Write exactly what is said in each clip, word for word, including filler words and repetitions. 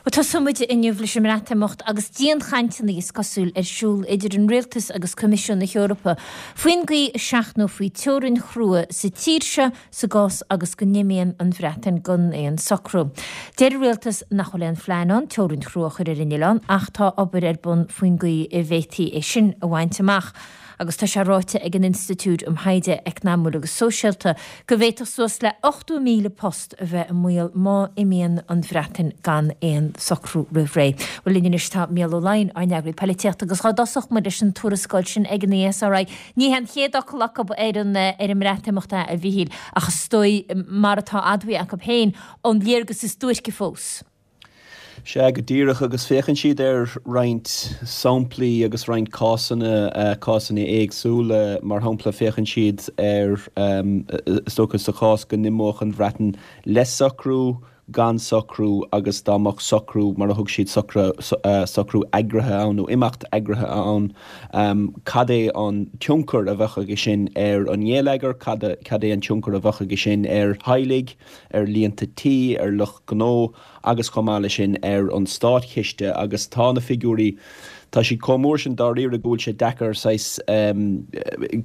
Bhuel, tosóidh muid inniu leis an mBreatimeacht agus dianchainteanna is cosúil ar siúl idir an Rialtas agus Coimisiún na hEorpa faoin gcaoi a seachnófaí teorainn chrua sa tír seo sa gcás agus go n-imíonn an Bhreatain gan aon socrú. Deir an Rialtas nach bhfuil aon phlean ann teorainn chrua a chur ar an oileán ach tá obair ar bun faoin gcaoi a bhféadfaí é sin a bhaint amach. Agus tá sé ráite ag an Institiúid um Thaighde Eacnamaíoch agus Sóisialta go bhféadfadh suas le ochtó míle post a bheith i mbaol má imíonn an Bhreatain gan aon socrú roimh ré. Bhuel linn anois tá Mícheál Ó Laighin, ár n-eagraí polaitíochta, agus dhá dtosódh muid leis an tuarascáil sin ag an ESRI. Ní hé an chéad fhocal acu ar an ar an mBreatimeacht é, a Mhíchíl, ach is dóigh mar atá admhaithe acu féin an léargas is duairce fós. Sea, go díreach, agus féachann siad ar roinnt samplaí agus roinnt cásanna, cásanna éagsúla. Mar shampla, féachann siad ar, is dócha, sa chás go n-imeodh an Bhreatain le socrú, gan socrú agus dá mbeadh socrú, mar a thug siad, socrú eagraithe ann nó imeacht eagraithe ann, cad é an tionchar a bheadh aige sin ar an ngeilleagar, cad é an tionchar a bheadh aige sin ar theaghlaigh, ar líonta tí, ar lucht gnó agus chomh maith leis sin ar an státchiste agus tá na figiúirí, tá siad chomh mór sin dáiríre go bhfuil sé deacair saghas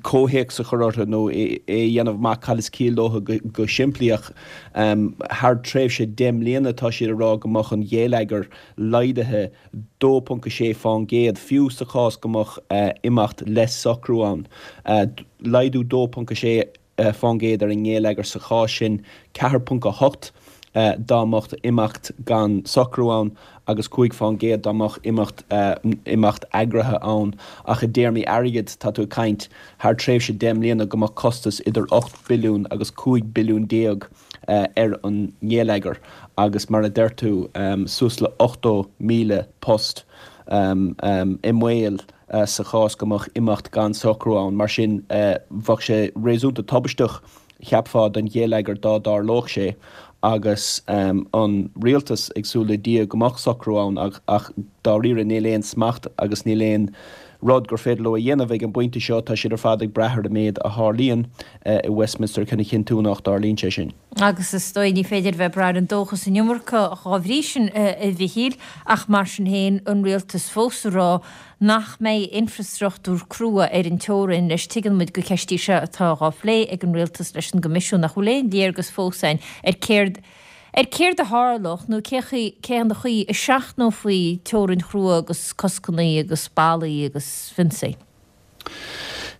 comhthéacs a chur orthu nó é a dhéanamh amach cad is ciall leo go simplí ach thar tréimhse deich mbliana tá siad ag rá go mbeadh an gheilleagar laghdaithe dó ponc a sé fán gcéad fiú sa chás go mbeadh imeacht le socrú ann. Laghdú dó ponc a sé fán gcéad ar an ngeilleagar sa chás sin, ceathair ponc a hocht dá mbeadh imeacht gan socrú ann agus cúig fán gcéad dá mbeadh imeacht imeacht eagraithe ann. Ach i dtéarmaí airgid, tá tú ag caint thar tréimhse deich mbliana go mbeadh costas idir ocht billiún agus cúig billiún déag ar an ngeilleagar agus mar a deir tú, suas le ochtó míle post i mbaol. sa chás go mbeadh imeacht gan socrú ann. Mar sin, bheadh sé réasúnta tubaisteach, cheapfá, don gheilleagar dá dtarlódh sé agus an rialtas ag súil le Dia go mbeadh socrú ann ach dáiríre níl aon smacht agus níl aon rud gur féidir leo a dhéanamh ag an bpointe seo, tá siad ar fad ag brath ar an méid a tharlaíonn i Westminster chun a chinntiú nach dtarlaíonn sé sin. Agus is dóigh ní féidir bheith ag brath ar an dóchas an iomarca dhá bhrí sin, a Mhichíl, ach mar sin féin, an rialtas fós ag rá nach mbeidh infreastruchtúr crua ar an teorainn. Anois tuigeann muid gur ceist í seo atá dhá phlé ag an rialtas leis an gCoimisiún nach bhfuil aon léargas fós againn ar céard ar céard a tharlódh nó cé cén chaoi a seachnófaí teorainn chrua agus coscanna agus ballaí agus fionsaí.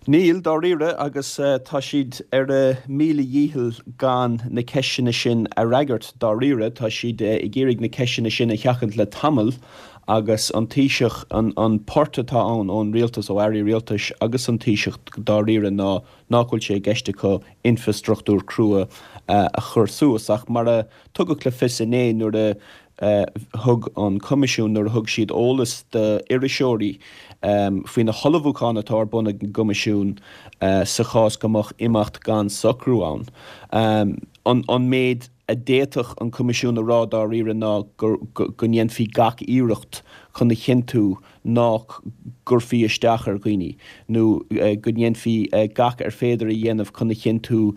Níl, dáiríre, agus tá siad ar a míle dhícheall gan na ceisteanna sin a fhreagairt, dáiríre. Tá siad ag iarraidh na ceisteanna sin a sheachaint le tamall agus an Taoiseach, an port atá ann ón rialtas, ó airí rialtais agus an Taoiseach, dáiríre, ná nach bhfuil sé i gceist acu infreastruchtúr crua a chur suas. Ach mar a tugadh le fios inné nuair a thug an Coimisiún, nuair a thug siad eolas d'iriseoirí faoi na hullmhúcháin atá ar bun ag an gCoimisiún sa chás go mbeadh imeacht gan socrú ann, an méid a d'fhéadfadh an Coimisiún a rá dáiríre ná go ndéanfaí gach iarracht chun a chinntiú nach gcuirfí isteach ar dhaoine nó go ndéanfaí gach ar féidir a dhéanamh chun a chinntiú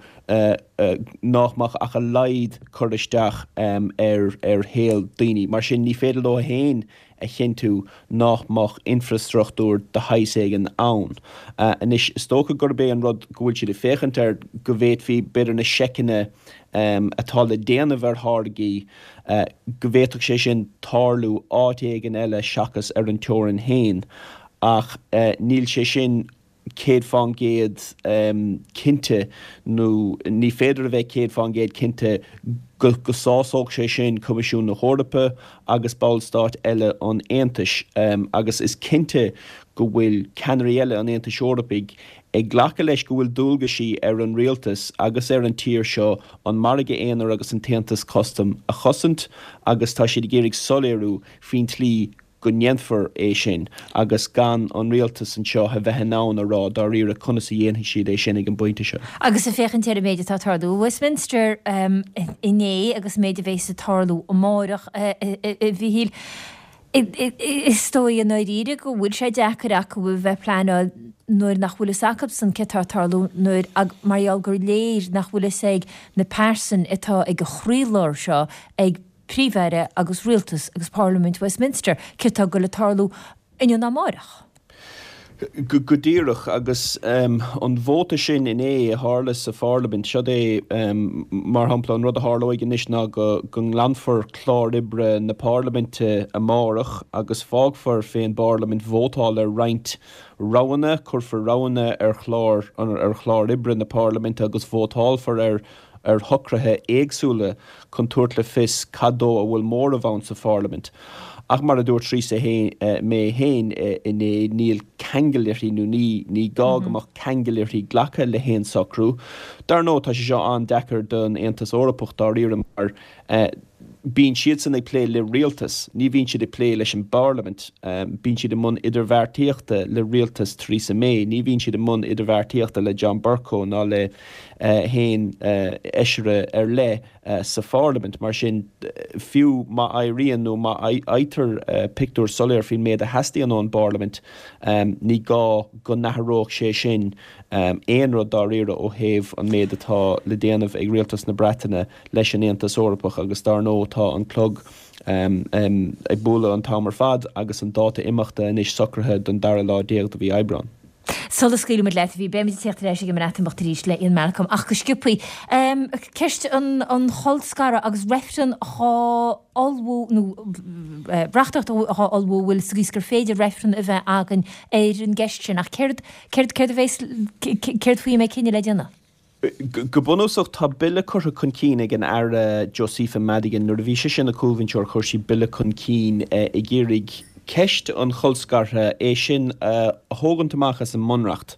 nach mbeadh ach a laghad cur isteach ar shaol daoine. Mar sin, ní féidir leo féin a chinntiú nach mbeadh infreastruchtúr de shaghas éigin ann. Anois, is dócha gurb é an rud go bhfuil siad ag féachaint air go bhféadfaí, b'fhéidir, na seiceanna atá le déanamh ar tháirgí, go bhféadfadh sé sin tarlú áit éigin eile seachas ar an teorainn féin. Ach níl sé sin céad fán gcéad cinnte, nó ní féidir a bheith céad fán gcéad cinnte go go sásódh sé sin Coimisiún na hEorpa agus ballstáit eile an Aontais. Agus is cinnte go bhfuil ceannairí eile an Aontais Eorpaigh ag glacadh leis go bhfuil dualgaisí ar an rialtas agus ar an tír seo an margadh aonair agus an t-aontas custaim a chosaint agus tá siad ag iarraidh soiléiriú faoin tslí go ndéanfar é sin agus gan an rialtas anseo a bheith in ann a rá dáiríre conas a dhéanfaidh siad é sin ag an bpointe seo. Agus ag féachaint ar an méid atá ag tarlú i Westminster inné agus an méid a bheas ag tarlú amárach, a Mhichíl, is dóigh i ndáiríre go bhfuil sé deacair acu a bheith ag pleanáil nuair nach bhfuil fhios acubsan céard atá ag tarlú nuair mar gheall gur léir nach bhfuil fhios ag na pearsain atá ag an chroílár seo ag Príomh-Aire agus Rialtas agus Parlaimint Westminster céard atá ag goil a tarlú inniu nó amárach. Go díreach, agus an vóta sin inné a tharla sa Pharlaimint, seod é, mar shampla, an rud a tharlóidh anois ná go nglanfar clár oibre na Parlaiminte amárach agus fágfar fén bParlaimint vótáil ar roinnt roghanna, cuirfear roghanna ar chlár ar chlár oibre na Parlaiminte agus vótálfar ar ar shocruithe éagsúla chun tabhairt le fios cad dó a bhfuil móramh ann sa Pharlaimint. Ach mar a dúirt Theresa May féin inné, níl ceangal uirthi nó ní ní gá go mbeadh ceangal uirthi glacadh le haon socrú. Dar ndóigh, tá sé seo an-deacair don Aontas Eorpach dáiríre mar bíonn siadsan ag plé le rialtas, ní bhíonn siad ag plé leis an bParlaimint. Bíonn siad i mbun idirbheartaíochta le rialtas Theresa May, ní bhíonn siad i mbun idirbheartaíochta le John Bercow ná le haon fheisire ar leith sa Pharlaimint. Mar sin, fiú má éiríonn nó má fhaightear pictiúr soiléir faoin méid a theastaíonn ón bParlaimint, ní gá go n-athródh sé sin aon rud dáiríre ó thaobh an méid atá le déanamh ag rialtas na Breataine leis an Aontas Eorpach agus dar ndóigh tá an clog ag bualadh an t-am ar fad agus an dáta imeachta anois socraithe don dara lá déag de mhí Aibreán. Sula scaoilfimid leat, bhí beimid ag teacht ar ais ag an mBreatimeacht arís le Ian Malcolm ach go sciobthaí, ceist an cholscaradh agus reifreann dhá ullmhú nó reachtaíocht dhá ullmhú a bhfuil sa gcaoi is gur féidir reifreann a bheith againn ar an gceist sin ach céard céard céard a bheas céard faoi a mbeidh cinneadh le déanamh? Go bunúsach, tá bille curtha chun cinn ag an Aire Josepha Madigan. Nuair a bhí sise ina cúlbhinseoir chuir sí bille chun cinn ag iarraidh ceist an cholscartha, é sin a thógaint amach as an mBunreacht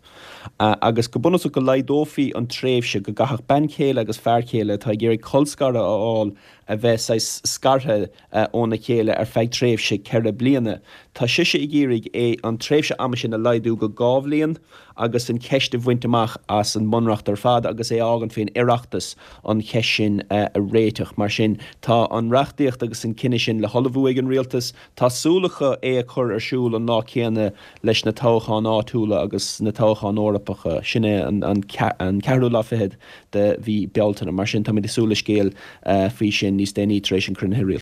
agus go bunúsach go laghdófaí an tréimhse go gcaithfeadh bean chéile agus fear céile atá ag iarraidh colscaradh a fháil a bheith saghas scartha óna chéile ar feadh tréimhse ceithre bliana. Tá sise ag iarraidh é an tréimhse ama sin a laghdú go dhá bhliain agus an cheist a bhaint amach as an mBunreacht ar fad agus é a fhágaint faoin Oireachtas an cheist sin a réiteach. Mar sin, tá an reachtaíocht agus an cinneadh sin le hullmhú ag an Rialtas. Tá súil acu é a chur ar siúl an lá céanna leis na toghcháin áitiúla agus na toghcháin Eorpacha, sin é an ceathrú lá fichead de mhí Bealtaine. Mar sin, táimid ag súil le scéal faoi sin níos déanaí tar éis an chruinnithe Rialtais.